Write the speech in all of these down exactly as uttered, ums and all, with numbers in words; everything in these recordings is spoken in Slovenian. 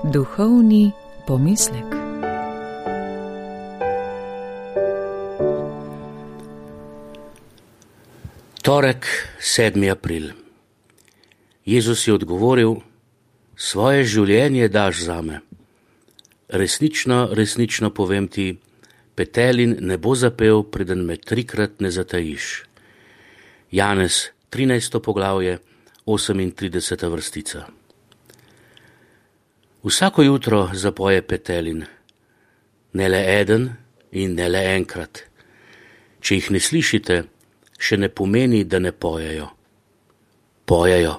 Duhovni pomislek. Torek, sedmi april. Jezus je odgovoril: svoje življenje daš zame. Resnično, resnično povem ti, petelin ne bo zapel, preden me trikrat ne zatajiš. Janez, trinajsto poglavje, osemintrideseta vrstica. Vsako jutro zapoje petelin, ne le eden in ne le enkrat. Če jih ne slišite, še ne pomeni, da ne pojejo. Pojejo.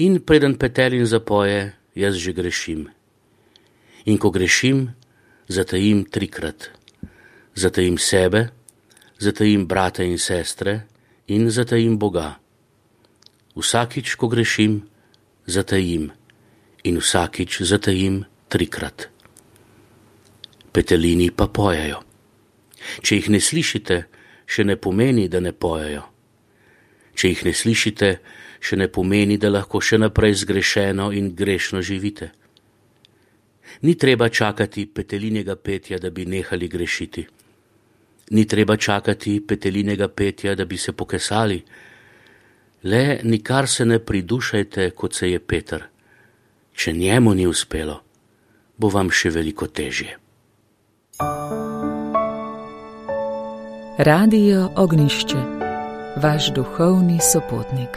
In preden petelin zapoje, jaz že grešim. In ko grešim, zatajim trikrat. Zatajim sebe, zatajim brate in sestre in zatajim Boga. Vsakič, ko grešim, zatajim. In vsakič zatajim trikrat. Petelini pa pojejo. Če jih ne slišite, še ne pomeni, da ne pojejo. Če jih ne slišite, še ne pomeni, da lahko še naprej zgrešeno in grešno živite. Ni treba čakati petelinjega petja, da bi nehali grešiti. Ni treba čakati petelinjega petja, da bi se pokesali. Le nikar se ne pridušajte, kot se je Peter. Če njemu ni uspelo, bo vam še veliko težje. Radio Ognjišče, vaš duhovni sopotnik.